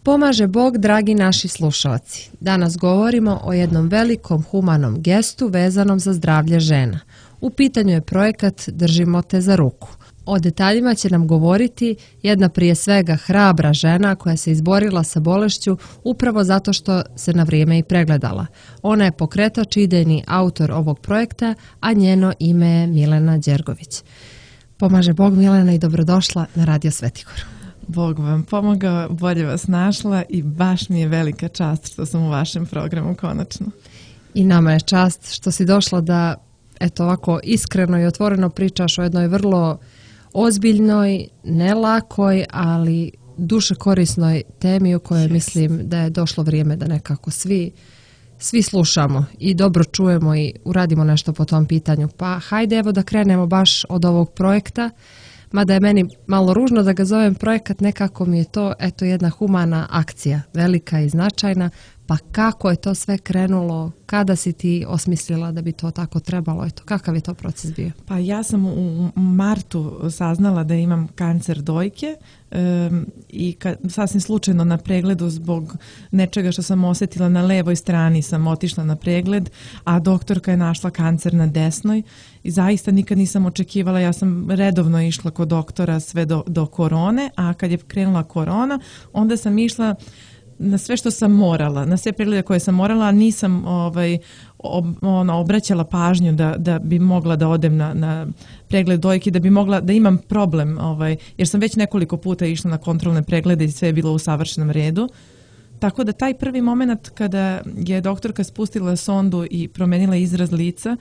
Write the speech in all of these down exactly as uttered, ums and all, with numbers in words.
Pomaže Bog, dragi naši slušalci. Danas govorimo o jednom velikom humanom gestu vezanom za zdravlje žena. U pitanju je projekat Držimo te za ruku. O detaljima će nam govoriti jedna prije svega hrabra žena koja se izborila sa bolešću upravo zato što se na vrijeme i pregledala. Ona je pokretač i idejni autor ovog projekta, a njeno ime je Milena Đergović. Pomaže Bog, Milena, i dobrodošla na Radio Svetigor. Bog vam pomogao, bolje vas našla i baš mi je velika čast što sam u vašem programu konačno. I nama je čast što si došla da eto ovako iskreno i otvoreno pričaš o jednoj vrlo ozbiljnoj, ne lakoj, ali duše korisnoj temi u kojoj yes. mislim da je došlo vrijeme da nekako svi, svi slušamo i dobro čujemo i uradimo nešto po tom pitanju. Pa hajde evo da krenemo baš od ovog projekta. Mada je meni malo ružno da ga zovem projekat, nekako mi je to eto jedna humana akcija, velika i značajna. Pa kako je to sve krenulo? Kada si ti osmislila da bi to tako trebalo? Eto, kakav je to proces bio? Pa ja sam u martu saznala da imam kancer dojke um, i kad, sasvim slučajno na pregledu zbog nečega što sam osjetila na levoj strani sam otišla na pregled, a doktorka je našla kancer na desnoj i zaista nikad nisam očekivala. Ja sam redovno išla kod doktora sve do, do korone, a kad je krenula korona, onda sam išla na sve što sam morala, na sve preglede koje sam morala, a nisam ovaj, ob, ono, obraćala pažnju da, da bi mogla da odem na, na pregled dojke, da bi mogla da imam problem, ovaj, jer sam već nekoliko puta išla na kontrolne preglede i sve je bilo u savršenom redu. Tako da taj prvi moment kada je doktorka spustila sondu i promenila izraz lica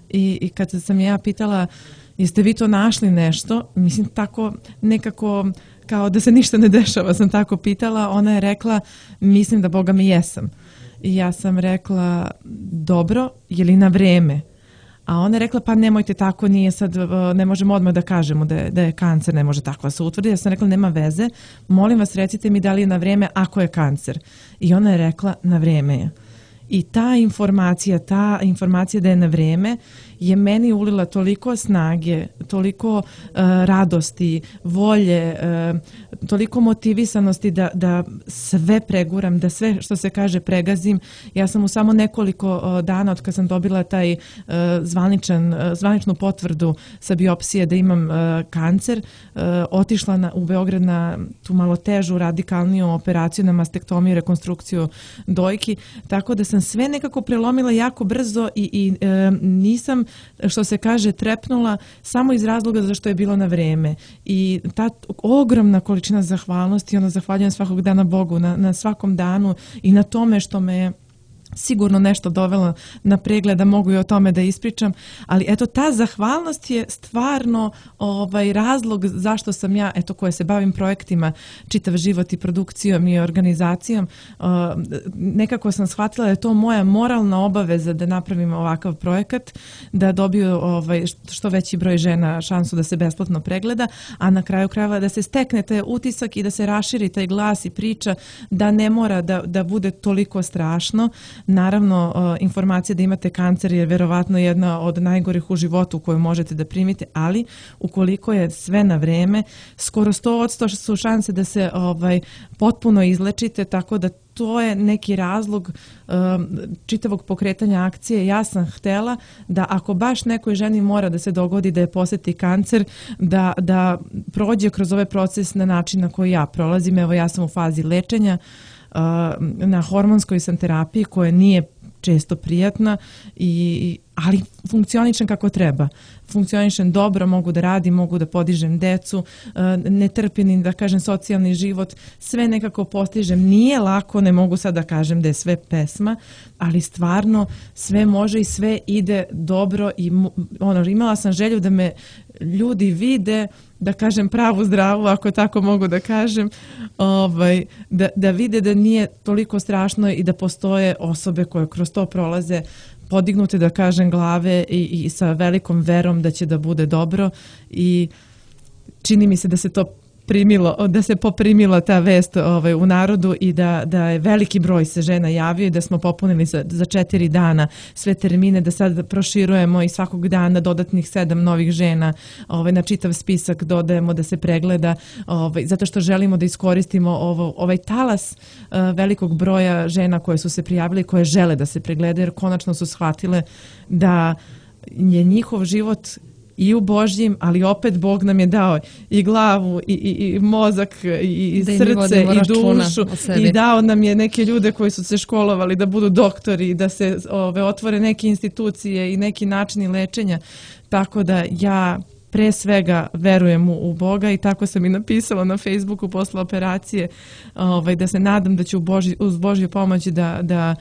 i, i kad sam ja pitala jeste vi to našli nešto, mislim tako nekako kao da se ništa ne dešava, sam tako pitala, ona je rekla, mislim da Boga mi jesam. I ja sam rekla, dobro, je li na vreme? A ona je rekla, pa nemojte tako, nije sad, ne možemo odmah da kažemo da je, da je kancer, ne može tako se utvrdi. Ja sam rekla, nema veze, molim vas recite mi da li je na vreme ako je kancer. I ona je rekla, na vreme je. I ta informacija, ta informacija da je na vreme je meni ulila toliko snage, toliko uh, radosti, volje, uh, toliko motivisanosti da, da sve preguram, da sve što se kaže pregazim. Ja sam u samo nekoliko uh, dana od kad sam dobila taj uh, zvaničan, uh, zvaničnu potvrdu sa biopsije da imam uh, kancer, uh, otišla na, u Beograd na tu malo težu, radikalniju operaciju na mastektomiju, rekonstrukciju dojki, tako da sam sve nekako prelomila jako brzo i, i e, nisam, što se kaže, trepnula samo iz razloga zašto je bilo na vreme. I ta ogromna količina zahvalnosti, ono zahvaljujem svakog dana Bogu na, na svakom danu i na tome što me sigurno nešto dovelo na pregled, da mogu i o tome da ispričam, ali eto ta zahvalnost je stvarno ovaj razlog zašto sam ja, eto koja se bavim projektima čitav život i produkcijom i organizacijom, uh, nekako sam shvatila da je to moja moralna obaveza da napravim ovakav projekat, da dobiju ovaj, što veći broj žena šansu da se besplatno pregleda, a na kraju krajeva da se stekne taj utisak i da se raširi taj glas i priča da ne mora da, da bude toliko strašno. Naravno, informacija da imate kancer je verovatno jedna od najgorih u životu koju možete da primite, ali ukoliko je sve na vreme, skoro sto posto su šanse da se ovaj, potpuno izlečite, tako da to je neki razlog um, čitavog pokretanja akcije. Ja sam htela da ako baš nekoj ženi mora da se dogodi da je posjeti kancer, da, da prođe kroz ovaj proces na način na koji ja prolazim. Evo, ja sam u fazi lečenja, na hormonskoj sam terapiji koja nije često prijatna, i, ali funkcionišem kako treba. Funkcionišem dobro, mogu da radim, mogu da podižem decu, ne trpim, da kažem, socijalni život, sve nekako postižem. Nije lako, ne mogu sad da kažem da je sve pesma, ali stvarno sve može i sve ide dobro i ono, imala sam želju da me ljudi vide, da kažem pravu zdravu, ako tako mogu da kažem, ovaj, da, da vide da nije toliko strašno i da postoje osobe koje kroz to prolaze podignute, da kažem, glave i, i sa velikom verom da će da bude dobro, i čini mi se da se to poprimilo, da se poprimila ta vest ovaj, u narodu i da, da je veliki broj se žena javio i da smo popunili za, za četiri dana sve termine, da sad proširujemo i svakog dana dodatnih sedam novih žena ovaj, na čitav spisak dodajemo da se pregleda, ovaj, zato što želimo da iskoristimo ovo, ovaj talas uh, velikog broja žena koje su se prijavile i koje žele da se pregledaju, jer konačno su shvatile da je njihov život i u Božjim, ali opet Bog nam je dao i glavu i, i, i mozak i, i srce i dušu i dao nam je neke ljude koji su se školovali da budu doktori, da se ove, otvore neke institucije i neki načini lečenja, tako da ja pre svega verujem u, u Boga i tako sam i napisala na Facebooku posle operacije ovaj, da se nadam da ću Boži, uz Božju pomoć da, da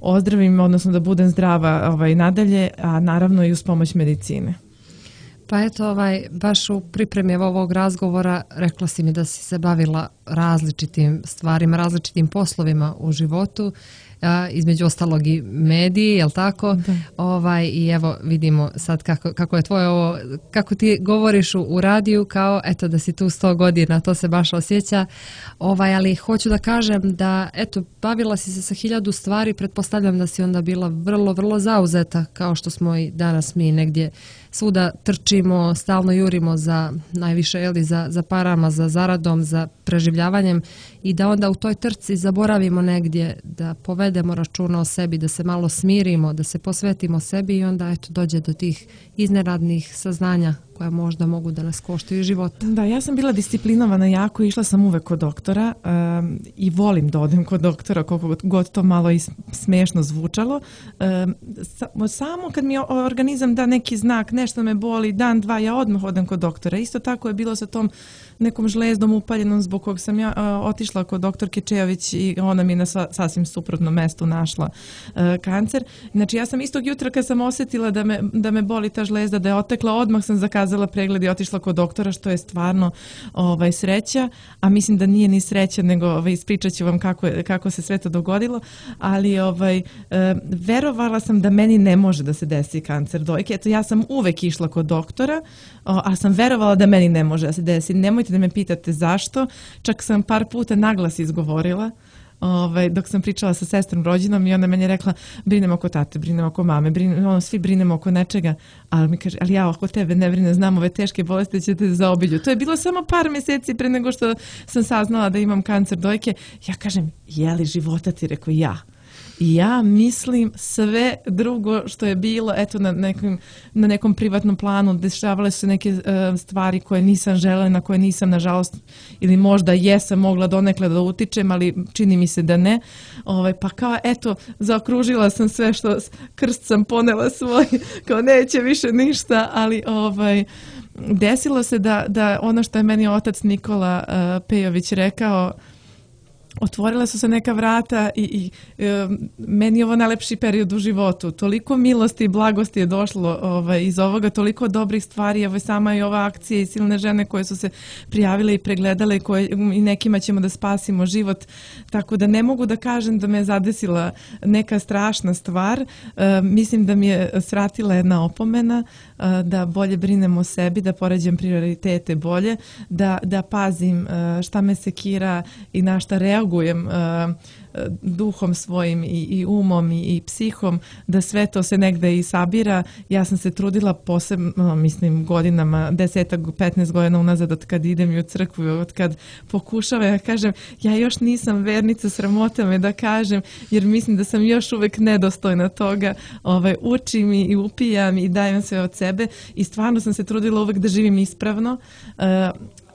ozdravim, odnosno da budem zdrava ovaj, nadalje, a naravno i uz pomoć medicine. Pa eto, ovaj, baš u pripremi ovog razgovora rekla si mi da si se bavila različitim stvarima, različitim poslovima u životu, a, između ostalog i mediji, jel tako? Da. Ovaj, i evo vidimo sad kako, kako je tvoje ovo, kako ti govoriš u, u radiju kao eto da si tu sto godina, to se baš osjeća. Ovaj, ali hoću da kažem da eto, bavila si se sa hiljadu stvari, pretpostavljam da si onda bila vrlo, vrlo zauzeta kao što smo i danas mi negdje svuda trčimo, stalno jurimo za najviše, jeli, za, za parama, za zaradom, za preživljavanjem i da onda u toj trci zaboravimo negdje da povedemo računa o sebi, da se malo smirimo, da se posvetimo sebi i onda eto dođe do tih iznenadnih saznanja koja možda mogu da nas koštaju života. Da, ja sam bila disciplinovana jako, išla sam uvek kod doktora um, i volim da odem kod doktora, koliko god to malo i smiješno zvučalo. Um, samo kad mi organizam da neki znak, nešto me boli, dan, dva, ja odmah odem kod doktora. Isto tako je bilo sa tom nekom žlezdom upaljenom zbog kog sam ja uh, otišla kod doktorke Čejović i ona mi na sva, sasvim suprotnom mestu našla uh, kancer. Znači ja sam istog jutra kad sam osjetila da me, da me boli ta žlezda, da je otekla, odmah sam zakazala pregled i otišla kod doktora, što je stvarno ovaj, sreća, a mislim da nije ni sreća, nego ovaj, ispričat ću vam kako, je, kako se sve to dogodilo, ali ovaj, e, verovala sam da meni ne može da se desi kancer dojke. Eto, ja sam uvek išla kod doktora, o, a sam verovala da meni ne može da se desi. Nemojte da me pitate zašto, čak sam par puta naglas izgovorila, Ovaj, dok sam pričala sa sestrom rođenom i ona meni je rekla brinemo oko tate, brinemo oko mame, brinemo, ono, svi brinemo oko nečega, ali mi kaže, ali ja oko tebe ne brine, znam ove teške bolesti će te zaobilju. To je bilo samo par mjeseci pre nego što sam saznala da imam kancer dojke. Ja kažem, je li života ti? Rekao, ja. I ja mislim sve drugo što je bilo, eto na nekom, na nekom privatnom planu, dešavale su neke uh, stvari koje nisam želela, na koje nisam nažalost, ili možda jesam mogla donekle da utičem, ali čini mi se da ne. Ovaj, pa kao, eto, zaokružila sam sve što, krst sam ponela svoj, kao neće više ništa, ali ovaj, desilo se da, da ono što je meni otac Nikola uh, Pejović rekao, otvorila su se neka vrata i, i e, meni je ovo najlepši period u životu. Toliko milosti i blagosti je došlo ovaj, iz ovoga, toliko dobrih stvari. Evo sama i ova akcija i silne žene koje su se prijavile i pregledale koje, i nekima ćemo da spasimo život. Tako da ne mogu da kažem da me je zadesila neka strašna stvar. E, mislim da mi je svratila jedna opomena, e, da bolje brinem o sebi, da poređam prioritete bolje, da, da pazim e, šta me sekira i na šta reagujem reagujem uh, duhom svojim i, i umom i, i psihom, da sve to se negde i sabira. Ja sam se trudila posebno, mislim, godinama, desetak, petnaest godina unazad od kad idem i u crkvu, od kad pokušavam, ja kažem, ja još nisam vernica, sramota me da kažem, jer mislim da sam još uvek nedostojna toga, ovaj, učim i upijam i dajem sve od sebe i stvarno sam se trudila uvek da živim ispravno, uh,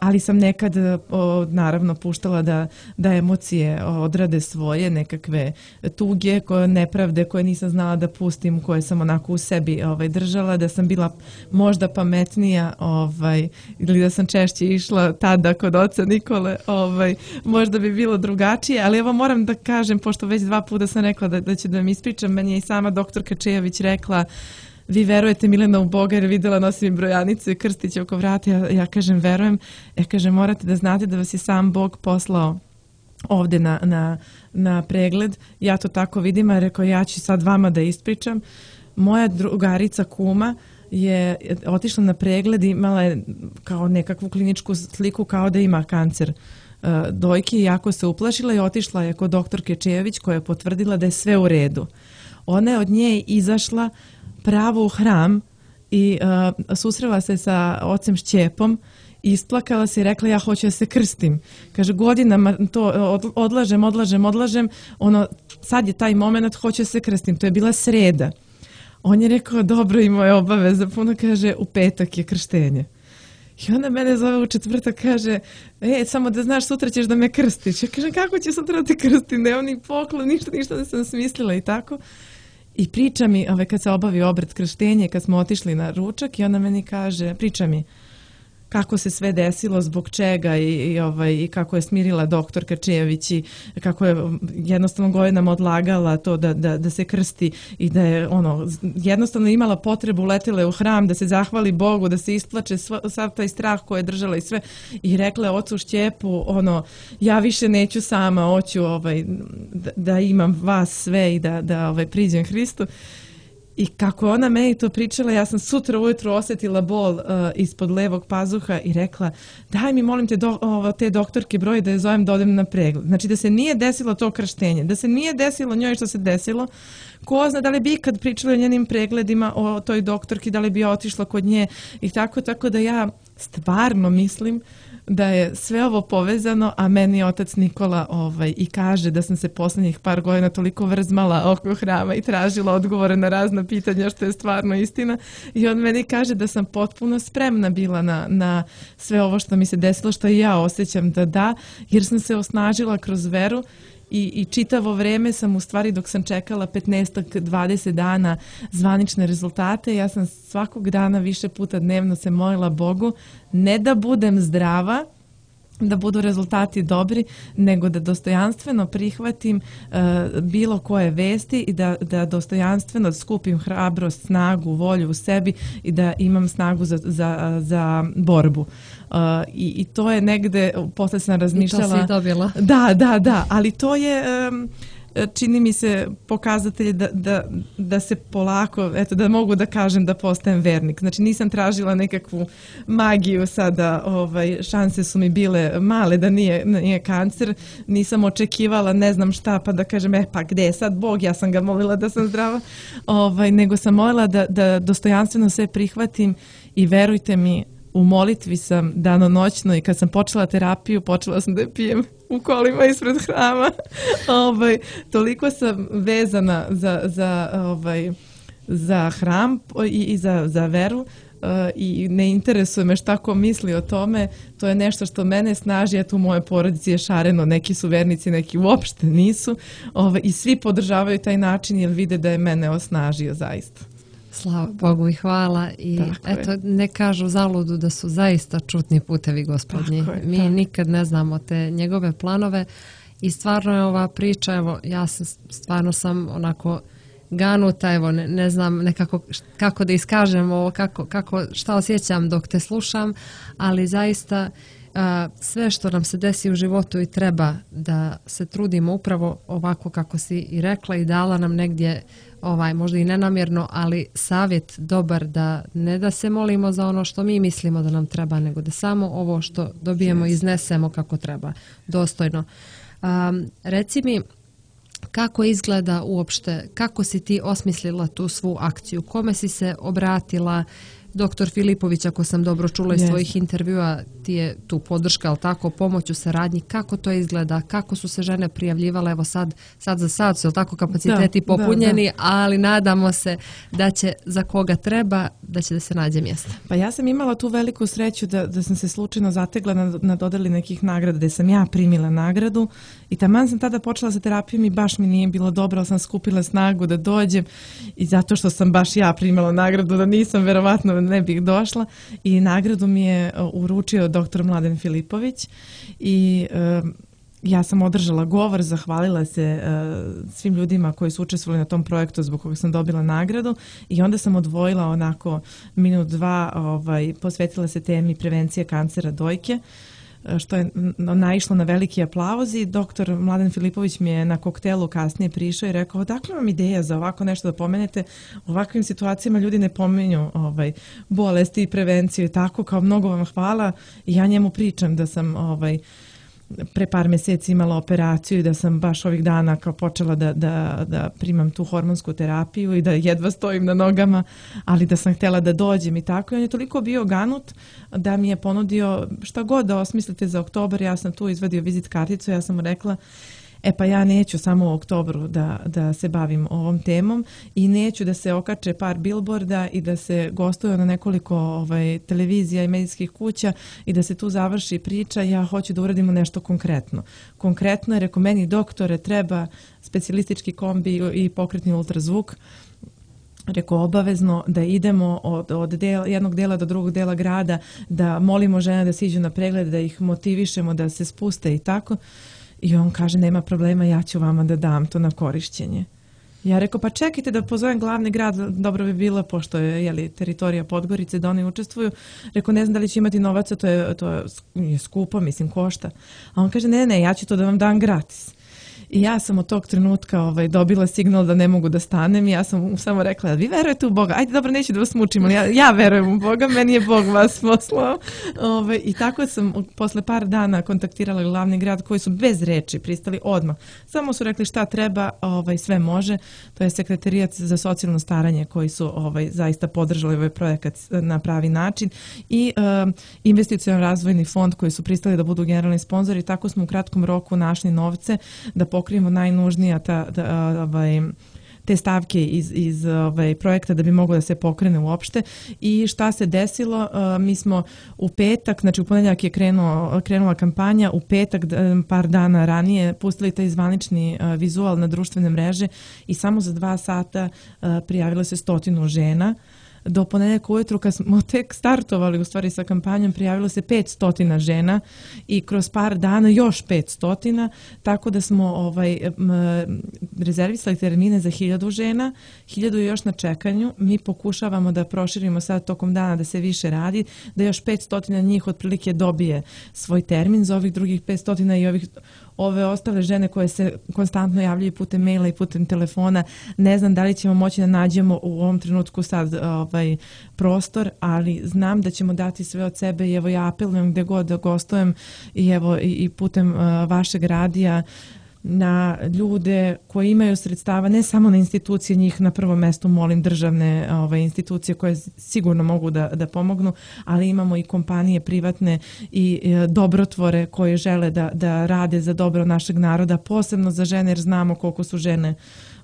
ali sam nekad o, naravno puštala da, da emocije odrade svoje, nekakve tuge, koje, nepravde koje nisam znala da pustim, koje sam onako u sebi ovaj, držala, da sam bila možda pametnija ovaj, ili da sam češće išla tada kod oca Nikole, ovaj, možda bi bilo drugačije, ali evo moram da kažem, pošto već dva puta sam rekla da, da ću da mi ispričam, meni je i sama doktorka Čejović rekla, vi verujete Milena u Boga jer vidjela nosim brojanicu i krstić oko vrata. Ja, ja kažem verujem. Ja kažem morate da znate da vas je sam Bog poslao ovdje na, na, na pregled. Ja to tako vidim, a rekao ja ću sad vama da ispričam. Moja drugarica kuma je otišla na pregled i imala je kao nekakvu kliničku sliku kao da ima kancer uh, dojke i jako se uplašila i otišla je kod doktorke Čejević koja je potvrdila da je sve u redu. Ona je od nje izašla pravo u hram i uh, susrela se sa ocem Šćepom, isplakala se i rekla ja hoću da se krstim. Kaže godinama to odlažem, odlažem, odlažem, ono sad je taj moment, hoću da se krstim. To je bila sreda. On je rekao dobro, imao je obaveza, puno kaže u petak je krštenje. I onda mene zove u četvrtak, kaže e, samo da znaš sutra ćeš da me krstiš. Ja kažem kako će sutra da te krstim, nemam ni poklon, ništa, ništa da sam smislila i tako. I priča mi, ove, kad se obavi obred krštenje, kad smo otišli na ručak i ona meni kaže, priča mi kako se sve desilo, zbog čega i, i, ovaj, i kako je smirila doktorka Čejević i kako je jednostavno godinama odlagala to da, da, da se krsti i da je ono, jednostavno imala potrebu, letela je u hram da se zahvali Bogu, da se isplače sva, sav taj strah koji je držala i sve i rekla je ocu Šćepu ono, ja više neću sama, hoću ovaj, da, da imam vas sve i da, da ovaj, priđem Hristu. I kako je ona meni to pričala, ja sam sutra ujutro osjetila bol uh, ispod levog pazuha i rekla daj mi molim te do, ovo, te doktorke broj da je zovem da odem na pregled. Znači da se nije desilo to krštenje, da se nije desilo njoj što se desilo, ko zna da li bi ikad pričala o njenim pregledima o toj doktorki, da li bi otišla kod nje i tako, tako da ja stvarno mislim da je sve ovo povezano, a meni otac Nikola ovaj, i kaže da sam se posljednjih par godina toliko vrzmala oko hrama i tražila odgovore na razna pitanja, što je stvarno istina. I on meni kaže da sam potpuno spremna bila na, na sve ovo što mi se desilo, što i ja osjećam da da, jer sam se osnažila kroz veru. I, i čitavo vreme sam u stvari dok sam čekala petnaest do dvadeset dana zvanične rezultate, ja sam svakog dana više puta dnevno se molila Bogu ne da budem zdrava, da budu rezultati dobri, nego da dostojanstveno prihvatim uh, bilo koje vesti i da, da dostojanstveno skupim hrabrost, snagu, volju u sebi i da imam snagu za, za, za borbu. Uh, i, I to je negde, posle sam razmišljala... I to si dobila. Da, da, da, ali to je... Um, čini mi se pokazatelj da, da, da se polako, eto da mogu da kažem da postajem vernik. Znači nisam tražila nekakvu magiju sada, ovaj, šanse su mi bile male da nije, nije kancer, nisam očekivala ne znam šta pa da kažem eh pa gde je sad Bog, ja sam ga molila da sam zdrava, ovaj, nego sam molila da, da dostojanstveno sve prihvatim i verujte mi, u molitvi sam danonoćno i kad sam počela terapiju, počela sam da je pijem u kolima ispred hrama. ovaj, toliko sam vezana za, za, ovaj, za hram i, i za, za veru uh, i ne interesuje me šta ko misli o tome. To je nešto što mene snaži, a tu u moje porodici je šareno. Neki su vernici, neki uopšte nisu. Ovaj, I svi podržavaju taj način jer vide da je mene osnažio zaista. Slava Bogu i hvala i tako eto je. Ne kažu zaludu da su zaista čutni putevi Gospodnji. Je, Mi tako. nikad ne znamo te njegove planove i stvarno je ova priča, evo ja sam, stvarno sam onako ganuta, evo ne, ne znam nekako kako da iskažem ovo, kako, kako, šta osjećam dok te slušam, ali zaista a, sve što nam se desi u životu i treba da se trudimo upravo ovako kako si i rekla i dala nam negdje ovaj, možda i nenamjerno, ali savjet dobar da ne da se molimo za ono što mi mislimo da nam treba, nego da samo ovo što dobijemo yes. iznesemo kako treba, dostojno. Um, reci mi, kako izgleda uopšte, kako si ti osmislila tu svu akciju, kome si se obratila? Doktor Filipović, ako sam dobro čula iz yes. svojih intervjua, ti je tu podrška, ali tako, pomoć u saradnji, kako to izgleda, kako su se žene prijavljivale, evo sad, sad za sad su, tako, kapaciteti da, popunjeni, da, da. ali nadamo se da će za koga treba, da će da se nađe mjesta. Pa ja sam imala tu veliku sreću da, da sam se slučajno zategla na, na dodeli nekih nagrada, da sam ja primila nagradu i taman sam tada počela sa terapijom i baš mi nije bilo dobro, ali sam skupila snagu da dođem i zato što sam baš ja primila nagradu, da nisam verovatno ne bih došla i nagradu mi je uručio doktor Mladen Filipović i um, ja sam održala govor, zahvalila se uh, svim ljudima koji su učestvovali na tom projektu zbog koga sam dobila nagradu i onda sam odvojila onako minut dva, ovaj, posvetila se temi prevencije kancera dojke. što je naišlo na veliki aplauz i doktor Mladen Filipović mi je na koktelu kasnije prišao i rekao, odakle vam ideja za ovako nešto da pomenete? U ovakvim situacijama ljudi ne pominju ovaj, bolesti i prevenciju i tako, kao mnogo vam hvala i ja njemu pričam da sam ovaj, pre par mjeseci imala operaciju i da sam baš ovih dana kao počela da, da, da primam tu hormonsku terapiju i da jedva stojim na nogama, ali da sam htjela da dođem i tako. I on je toliko bio ganut da mi je ponudio šta god da osmislite za oktobar. Ja sam tu izvadio vizit karticu, ja sam mu rekla, e pa ja neću samo u oktobru da, da se bavim ovom temom i neću da se okače par billboarda i da se gostuje na nekoliko ovaj, televizija i medijskih kuća i da se tu završi priča. Ja hoću da uradimo nešto konkretno. Konkretno je, rekao, meni doktore treba specijalistički kombi i pokretni ultrazvuk. Rekao, obavezno da idemo od, od del, jednog dela do drugog dela grada, da molimo žene da siđu na pregled, da ih motivišemo da se spuste i tako. I on kaže, nema problema, ja ću vama da dam to na korišćenje. Ja rekao, pa čekajte da pozovem glavni grad, dobro bi bilo, pošto je jeli, teritorija Podgorice, da oni učestvuju. Rekao, ne znam da li će imati novaca, to je, to je skupo, mislim, košta. A on kaže, ne, ne, ja ću to da vam dam gratis. I ja sam od tog trenutka ovaj, dobila signal da ne mogu da stanem i ja sam samo rekla, vi verujete u Boga? Ajde, dobro, neću da vas mučim, ali ja, ja verujem u Boga, meni je Bog vas poslao. Ovaj, I tako sam posle par dana kontaktirala glavni grad koji su bez reči pristali odmah. Samo su rekli šta treba, ovaj, sve može. To je Sekretarijat za socijalno staranje koji su ovaj, zaista podržali ovaj projekat na pravi način i um, investicijalno razvojni fond koji su pristali da budu generalni sponzori. Tako smo u kratkom roku našli novce da pokrijemo najnužnija ta, da, ovaj, te stavke iz, iz ovaj, projekta da bi moglo da se pokrene uopšte. I šta se desilo? Uh, mi smo u petak, znači u ponedjeljak je krenuo, krenula kampanja, u petak par dana ranije pustili taj zvanični uh, vizual na društvene mreže i samo za dva sata uh, prijavilo se stotinu žena. Do ponedjeljka ujutru, kad smo tek startovali u stvari sa kampanjom, prijavilo se petsto žena i kroz par dana još petsto, tako da smo ovaj, rezervisali termine za hiljadu žena, hiljadu je još na čekanju. Mi pokušavamo da proširimo sad tokom dana da se više radi, da još petsto njih otprilike dobije svoj termin, za ovih drugih petsto i ovih ove ostale žene koje se konstantno javljaju putem maila i putem telefona. Ne znam da li ćemo moći da nađemo u ovom trenutku sad ovaj, prostor, ali znam da ćemo dati sve od sebe i evo ja apelujem gdje god da gostujem i evo i, i putem uh, vašeg radija na ljude koji imaju sredstava, ne samo na institucije, njih na prvom mjestu molim državne ove, institucije koje sigurno mogu da, da pomognu, ali imamo i kompanije privatne i e, dobrotvore koje žele da, da rade za dobro našeg naroda, posebno za žene jer znamo koliko su žene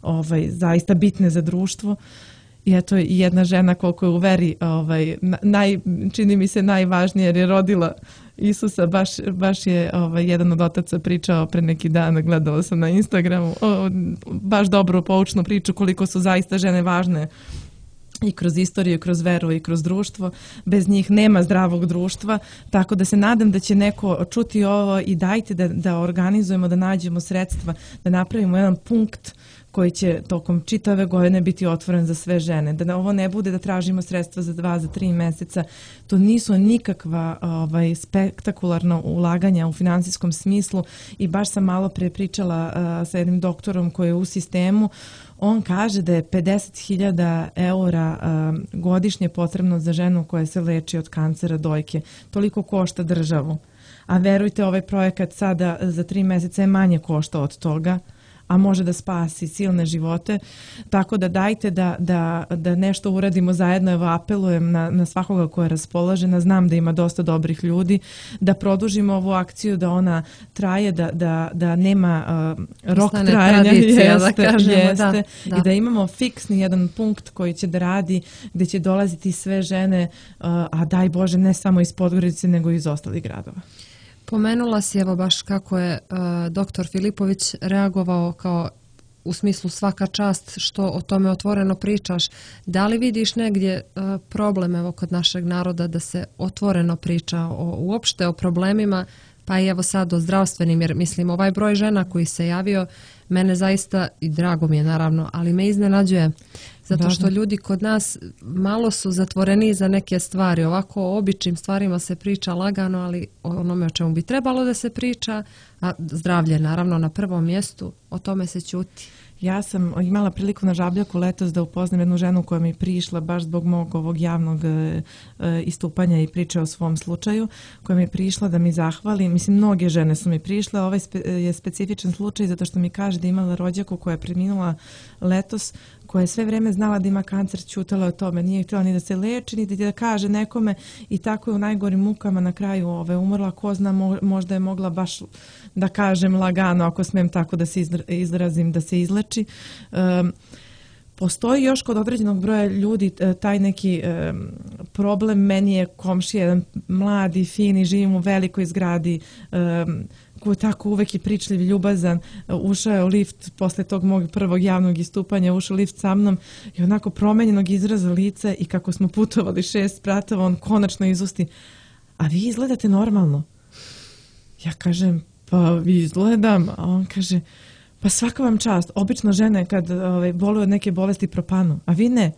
ovaj, zaista bitne za društvo. I eto i jedna žena koliko je u veri, ovaj, naj, čini mi se najvažnije jer je rodila Isusa, baš, baš je ovaj, jedan od otaca pričao pre neki dan, gledala sam na Instagramu, o, baš dobru poučnu priču koliko su zaista žene važne i kroz istoriju, kroz veru i kroz društvo. Bez njih nema zdravog društva, tako da se nadam da će neko čuti ovo i dajte da, da organizujemo, da nađemo sredstva, da napravimo jedan punkt koji će tokom čitave godine biti otvoren za sve žene. Da ovo ne bude da tražimo sredstva za dva, za tri mjeseca. To nisu nikakva ovaj, spektakularna ulaganja u finansijskom smislu i baš sam malo pre pričala uh, sa jednim doktorom koji je u sistemu. On kaže da je pedeset hiljada eura uh, godišnje potrebno za ženu koja se leči od kancera dojke. Toliko košta državu. A verujte, ovaj projekat sada za tri mjeseca je manje košta od toga, a može da spasi silne živote, tako da dajte da, da, da nešto uradimo zajedno. Evo apelujem na, na svakoga koja je raspoložena, znam da ima dosta dobrih ljudi, da produžimo ovu akciju, da ona traje, da, da, da nema uh, rok Ostane trajanja jeste, da kažemo, jeste, da, da. i da imamo fiksni jedan punkt koji će da radi, gdje će dolaziti sve žene, uh, a daj Bože ne samo iz Podgorice nego i iz ostalih gradova. Pomenula si evo baš kako je uh, doktor Filipović reagovao kao u smislu svaka čast što o tome otvoreno pričaš. Da li vidiš negdje uh, problem evo kod našeg naroda da se otvoreno priča o, uopšte o problemima, pa i evo sad o zdravstvenim, jer mislim ovaj broj žena koji se javio mene zaista, i drago mi je naravno, ali me iznenađuje zato što ljudi kod nas malo su zatvoreni za neke stvari. Ovako o običnim stvarima se priča lagano, ali o onome o čemu bi trebalo da se priča, a zdravlje naravno na prvom mjestu, o tome se ćuti. Ja sam imala priliku na Žabljaku letos da upoznam jednu ženu koja mi je prišla baš zbog mog ovog javnog e, istupanja i priče o svom slučaju, koja mi je prišla da mi zahvali. Mislim, mnoge žene su mi prišle, ovaj spe, je specifičan slučaj zato što mi kaže da imala rođaku koja je preminula letos, koja je sve vreme znala da ima kancer, ćutala o tome, nije htjela ni da se leči, ni da kaže nekome i tako je u najgorim mukama na kraju ove, umrla. Ko zna, možda je mogla baš, da kažem lagano, ako smijem tako da se izrazim, da se izleči. Um, Postoji još kod određenog broja ljudi taj neki um, problem. Meni je komšija jedan mladi, fini, živim u velikoj zgradi, um, koji je tako uvek i pričljiv, ljubazan, ušao je u lift posle tog mog prvog javnog istupanja, ušao u lift sa mnom i onako promenjenog izraza lica i kako smo putovali šest spratova, on konačno izusti: a vi izgledate normalno. Ja kažem: pa vi izgledam, a on kaže: pa svaka vam čast, obično žene kad ovaj, boluju od neke bolesti propanu, a vi ne.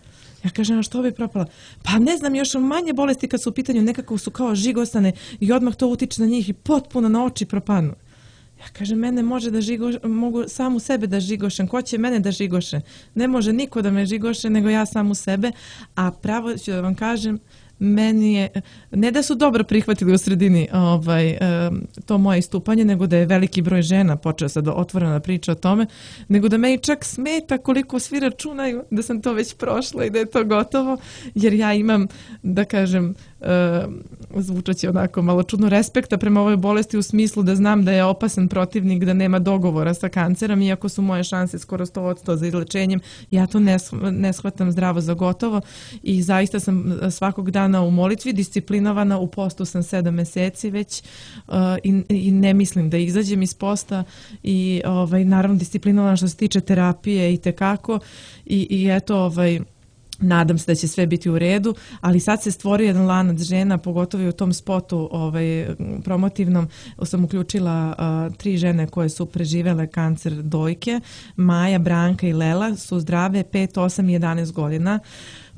Ja kažem: a što bi propala? Pa ne znam, još manje bolesti kad su u pitanju, nekako su kao žigosane i odmah to utiče na njih i potpuno na oči propanu. Ja kažem: mene može da žigoš, mogu sam u sebe da žigošem, ko će mene da žigoše? Ne može niko da me žigoše nego ja sam u sebe, a pravo ću da vam kažem, meni je, ne da su dobro prihvatili u sredini ovaj, to moje istupanje, nego da je veliki broj žena počeo sad otvoreno da priča o tome, nego da meni čak smeta koliko svi računaju da sam to već prošla i da je to gotovo, jer ja imam, da kažem, zvučaće onako malo čudno, respekta prema ovoj bolesti u smislu da znam da je opasan protivnik, da nema dogovora sa kancerom, iako su moje šanse skoro sto posto za izlečenjem, ja to ne, ne shvatam zdravo za gotovo i zaista sam svakog dana u molitvi, disciplinovana, u postu sam sedam meseci već uh, i, i ne mislim da izađem iz posta i ovaj, naravno disciplinovana što se tiče terapije i tekako i, i eto ovaj, nadam se da će sve biti u redu, ali sad se stvorio jedan lanac žena, pogotovo i u tom spotu ovaj, promotivnom sam uključila uh, tri žene koje su preživele kancer dojke, Maja, Branka i Lela, su zdrave pet, osam i jedanaest godina.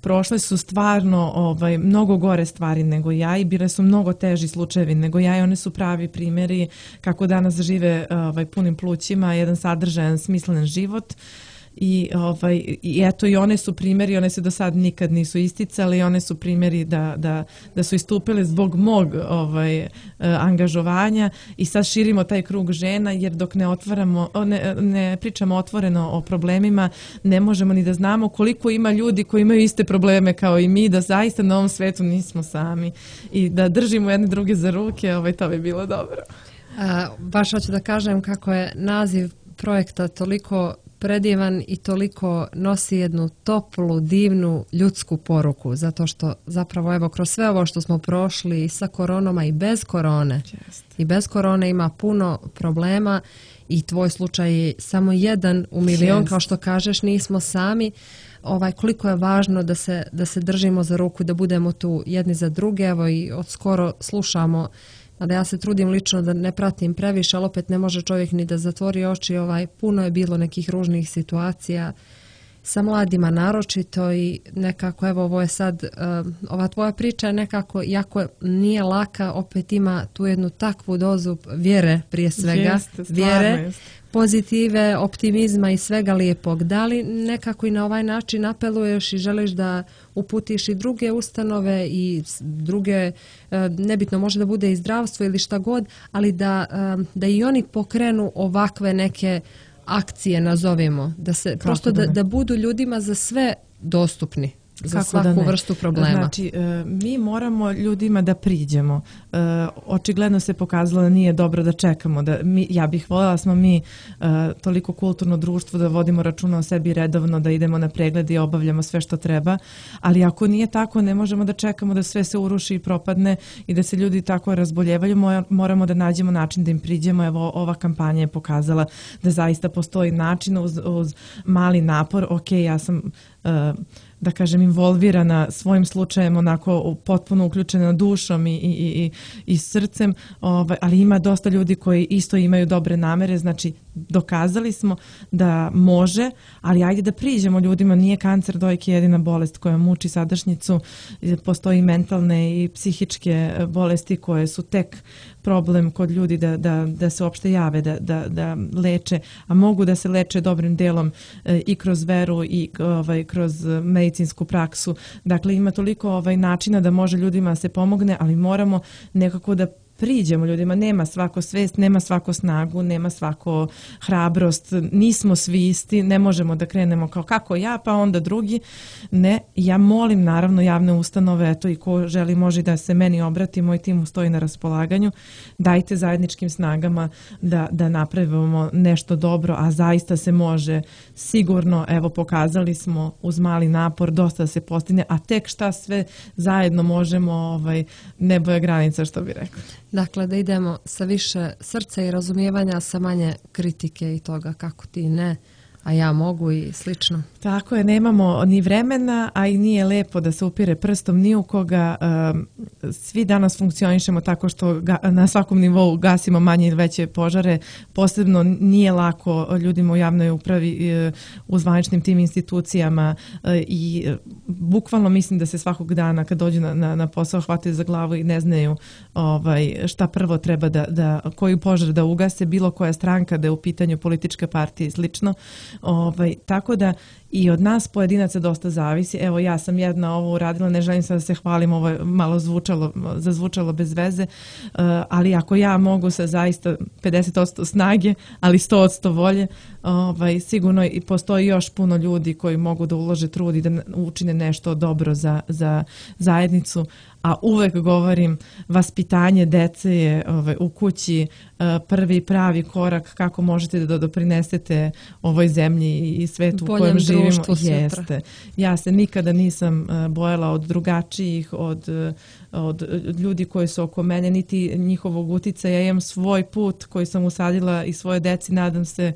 Prošle su stvarno ovaj, mnogo gore stvari nego ja i bile su mnogo teži slučajevi nego ja i one su pravi primjeri kako danas žive ovaj, punim plućima, jedan sadržajan, smislen život. I, ovaj, i eto i one su primjeri, one se do sad nikad nisu isticali, one su primjeri da, da, da su istupile zbog mog ovaj, angažovanja i sad širimo taj krug žena jer dok ne, otvaramo, ne, ne pričamo otvoreno o problemima ne možemo ni da znamo koliko ima ljudi koji imaju iste probleme kao i mi, da zaista na ovom svetu nismo sami i da držimo jedne druge za ruke, ovaj, to bi bilo dobro. A, baš hoću da kažem kako je naziv projekta toliko predivan i toliko nosi jednu toplu, divnu ljudsku poruku, zato što zapravo evo kroz sve ovo što smo prošli i sa koronama i bez korone, Just. i bez korone ima puno problema i tvoj slučaj je samo jedan u milion, Just. kao što kažeš, nismo sami. Ovaj, koliko je važno da se, da se držimo za ruku, da budemo tu jedni za druge, evo i od skoro slušamo. Mada ja se trudim lično da ne pratim previše, ali opet ne može čovjek ni da zatvori oči. Ovaj, puno je bilo nekih ružnih situacija sa mladima naročito i nekako, evo ovo je sad, uh, ova tvoja priča je nekako, iako nije laka, opet ima tu jednu takvu dozu vjere prije svega, Jeste, vjere, jest. pozitive, optimizma i svega lijepog. Da li nekako i na ovaj način apeluješ i želiš da uputiš i druge ustanove i druge, nebitno može da bude i zdravstvo ili šta god, ali da, da i oni pokrenu ovakve neke akcije, nazovimo, da se Kako prosto da, da budu ljudima za sve dostupni. Za Kako svaku vrstu problema. Znači, mi moramo ljudima da priđemo. Očigledno se pokazalo da nije dobro da čekamo. Da mi, ja bih voljela smo mi toliko kulturno društvo da vodimo računa o sebi redovno, da idemo na pregled i obavljamo sve što treba. Ali ako nije tako, ne možemo da čekamo da sve se uruši i propadne i da se ljudi tako razboljevaju. Moramo da nađemo način da im priđemo. Evo, ova kampanja je pokazala da zaista postoji način uz, uz mali napor. Ok, ja sam... Uh, da kažem, involvirana svojim slučajem, onako potpuno uključena dušom i, i, i, i srcem, ovaj, ali ima dosta ljudi koji isto imaju dobre namere, znači dokazali smo da može, ali ajde da priđemo ljudima, nije kancer dojke jedina bolest koja muči sadašnjicu, postoji mentalne i psihičke bolesti koje su tek problem kod ljudi da, da, da se uopšte jave, da, da, da leče, a mogu da se leče dobrim delom e, i kroz veru i ovaj, kroz medicinsku praksu. Dakle, ima toliko ovaj, načina da može ljudima se pomogne, ali moramo nekako da priđemo ljudima, nema svako svest, nema svako snagu, nema svako hrabrost, nismo svi isti, ne možemo da krenemo kao kako ja, pa onda drugi. Ne, ja molim naravno javne ustanove, eto i ko želi može da se meni obrati, moj tim stoji na raspolaganju, dajte zajedničkim snagama da, da napravimo nešto dobro, a zaista se može sigurno, evo pokazali smo uz mali napor, dosta se postigne, a tek šta sve zajedno možemo, ovaj, nebo je granica, što bi rekao. Dakle, da idemo sa više srca i razumijevanja, sa manje kritike i toga kako ti ne, a ja mogu i slično. Tako je, nemamo ni vremena, a i nije lepo da se upire prstom ni u koga. Svi danas funkcionišemo tako što na svakom nivou gasimo manje ili veće požare. Posebno nije lako ljudima u javnoj upravi, u zvaničnim tim institucijama i bukvalno mislim da se svakog dana kad dođu na, na, na posao hvataju za glavu i ne znaju ovaj, šta prvo treba da, da, koju požar da ugase, bilo koja stranka da je u pitanju političke partije i slično. Ovaj, tako da i od nas pojedinaca dosta zavisi. Evo ja sam jedna ovo uradila, ne želim sad da se hvalim, ovo je malo zvučalo, zazvučalo bez veze, uh, ali ako ja mogu sa zaista pedeset posto snage, ali sto posto volje, ovaj, sigurno i postoji još puno ljudi koji mogu da ulože trud i da učine nešto dobro za, za zajednicu. A uvek govorim, vaspitanje dece je ovaj, u kući uh, prvi pravi korak kako možete da doprinesete ovoj zemlji i svetu u kojem živimo. Jeste. Ja se nikada nisam uh, bojala od drugačijih, od, uh, od ljudi koji su oko mene, niti njihovog uticaja. Ja imam svoj put koji sam usadila i svoje deci, nadam se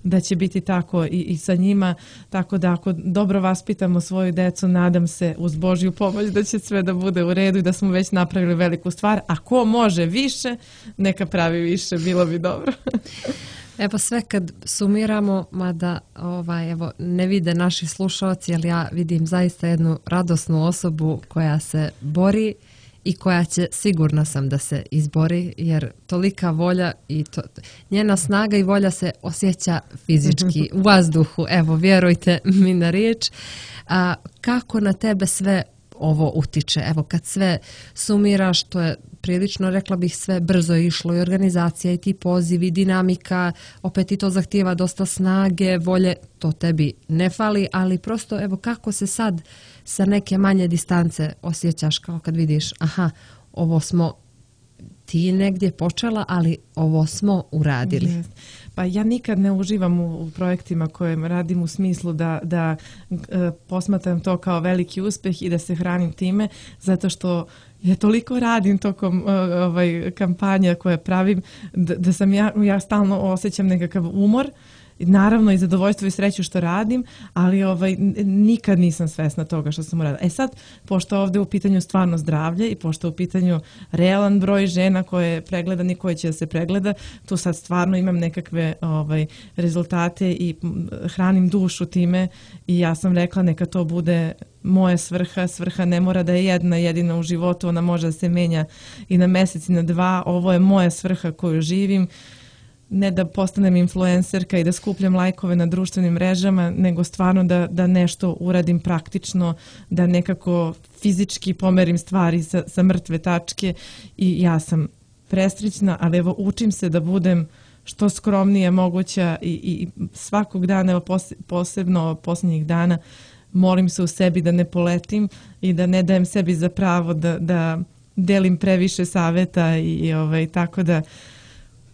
da će biti tako i, i sa njima, tako da ako dobro vaspitamo svoju decu, nadam se uz Božju pomoć da će sve da bude u redu i da smo već napravili veliku stvar, a ko može više, neka pravi više, bilo bi dobro. Evo sve kad sumiramo, mada ovaj, evo, ne vide naši slušalci, ali ja vidim zaista jednu radosnu osobu koja se bori i koja će, sigurna sam da se izbori, jer tolika volja i to, njena snaga i volja se osjeća fizički u vazduhu. Evo, vjerujte mi na riječ. A, kako na tebe sve ovo utiče? Evo, kad sve sumiraš, to je prilično, rekla bih, sve brzo išlo i organizacija i ti pozivi, dinamika, opet i to zahtijeva dosta snage, volje, to tebi ne fali, ali prosto, evo, kako se sad sa neke manje distance osjećaš kao kad vidiš, aha, ovo smo ti negdje počela, ali ovo smo uradili. Yes. Pa ja nikad ne uživam u, u projektima koje radim u smislu da, da e, posmatram to kao veliki uspjeh i da se hranim time, zato što ja toliko radim tokom uh, ovaj, kampanja koje pravim da, da sam ja, ja stalno osjećam nekakav umor. Naravno i zadovoljstvo i sreću što radim, ali ovaj, nikad nisam svesna toga što sam uradila. E sad, pošto ovdje u pitanju stvarno zdravlje i pošto u pitanju realan broj žena koje je pregledan i koje će da se pregleda, tu sad stvarno imam nekakve ovaj, rezultate i hranim dušu time i ja sam rekla neka to bude moja svrha. Svrha ne mora da je jedna jedina u životu, ona može da se menja i na mjesec i na dva. Ovo je moja svrha koju živim. Ne da postanem influencerka i da skupljam lajkove na društvenim mrežama, nego stvarno da, da nešto uradim praktično, da nekako fizički pomerim stvari sa, sa mrtve tačke i ja sam presrećna, ali evo učim se da budem što skromnije moguća i, i svakog dana, evo posebno posljednjih dana, molim se u sebi da ne poletim i da ne dajem sebi za pravo da, da delim previše savjeta i, i ovaj, tako da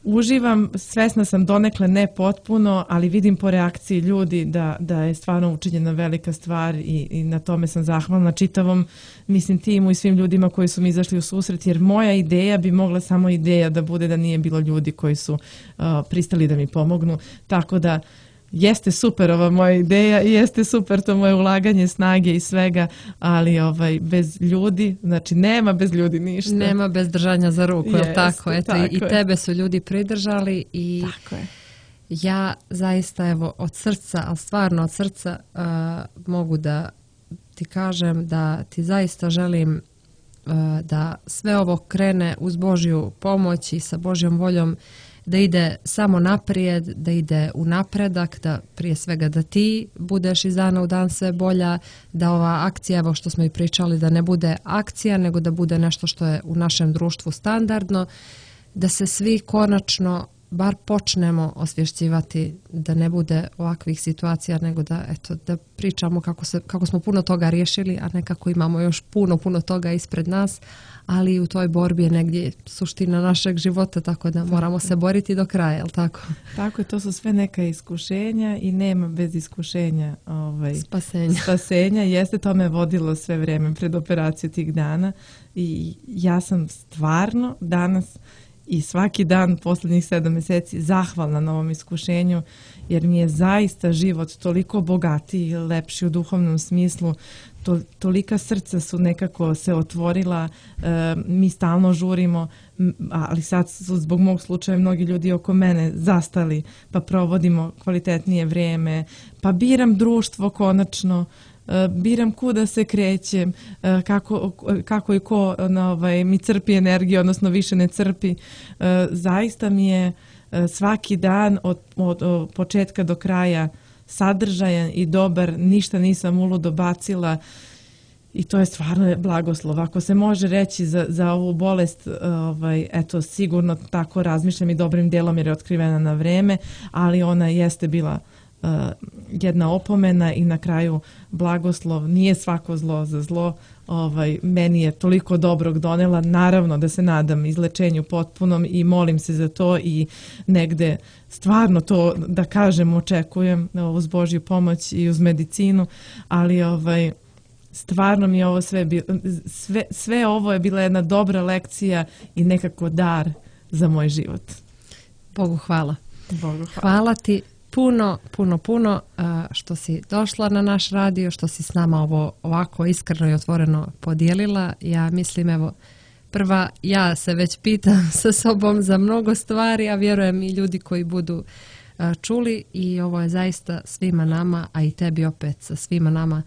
uživam, svesna sam donekle ne potpuno, ali vidim po reakciji ljudi da, da je stvarno učinjena velika stvar i, i na tome sam zahvalna čitavom, mislim, timu i svim ljudima koji su mi izašli u susret, jer moja ideja bi mogla samo ideja da bude da nije bilo ljudi koji su uh, pristali da mi pomognu, tako da jeste super ova moja ideja i jeste super to moje ulaganje snage i svega, ali ovaj bez ljudi, znači nema bez ljudi ništa. Nema bez držanja za ruku, jeste, je tako? Eto, tako i, i tebe su ljudi pridržali i tako je. Ja zaista evo od srca, ali stvarno od srca uh, mogu da ti kažem da ti zaista želim uh, da sve ovo krene uz Božju pomoć i sa Božjom voljom, da ide samo naprijed, da ide u napredak, da prije svega da ti budeš iz dana u dan sve bolja, da ova akcija, evo što smo i pričali, da ne bude akcija, nego da bude nešto što je u našem društvu standardno, da se svi konačno bar počnemo osvješćivati, da ne bude ovakvih situacija, nego da, eto, da pričamo kako, se, kako smo puno toga riješili, a nekako imamo još puno, puno toga ispred nas, ali u toj borbi je negdje suština našeg života, tako da moramo se boriti do kraja, jel tako? Tako je, to su sve neka iskušenja i nema bez iskušenja ovaj, spasenja. spasenja. Jeste, to me vodilo sve vrijeme pred operaciju tih dana i ja sam stvarno danas i svaki dan posljednjih sedam mjeseci zahvalna na ovom iskušenju, jer mi je zaista život toliko bogatiji i lepši u duhovnom smislu. To, tolika srca su nekako se otvorila, e, mi stalno žurimo, ali sad su zbog mog slučaja mnogi ljudi oko mene zastali, pa provodimo kvalitetnije vrijeme, pa biram društvo konačno, e, biram kuda se krećem, e, kako, kako i ko na, ovaj, mi crpi energiju, odnosno više ne crpi. E, zaista mi je e, svaki dan od, od, od početka do kraja sadržajan i dobar, ništa nisam uludo bacila i to je stvarno blagoslov. Ako se može reći za, za ovu bolest, ovaj, eto, sigurno tako razmišljam i dobrim dijelom jer je otkrivena na vreme, ali ona jeste bila uh, jedna opomena i na kraju blagoslov. Nije svako zlo za zlo. Ovaj, meni je toliko dobrog donela, naravno da se nadam izlečenju potpunom i molim se za to i negde stvarno to da kažem očekujem uz Božju pomoć i uz medicinu, ali ovaj, stvarno mi je ovo sve, bilo, sve, sve ovo je bila jedna dobra lekcija i nekako dar za moj život. Bogu hvala. Bogu hvala. Hvala ti puno, puno, puno što si došla na naš radio, što si s nama ovo ovako iskreno i otvoreno podijelila. Ja mislim, evo, prva, ja se već pitam sa sobom za mnogo stvari, a vjerujem i ljudi koji budu čuli i ovo je zaista svima nama, a i tebi opet sa svima nama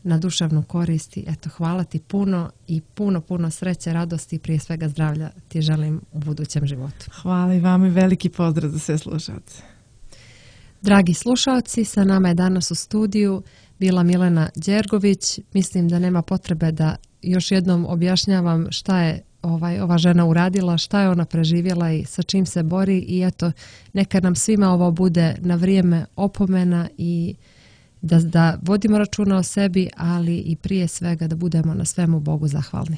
na duševnu koristi. Eto, hvala ti puno i puno, puno sreće, radosti i prije svega zdravlja ti želim u budućem životu. Hvala i vama i veliki pozdrav za sve slušalce. Dragi slušalci, sa nama je danas u studiju bila Milena Đergović. Mislim da nema potrebe da još jednom objašnjavam šta je ovaj, ova žena uradila, šta je ona preživjela i sa čim se bori i eto, neka nam svima ovo bude na vrijeme opomena i da, da vodimo računa o sebi, ali i prije svega da budemo na svemu Bogu zahvalni.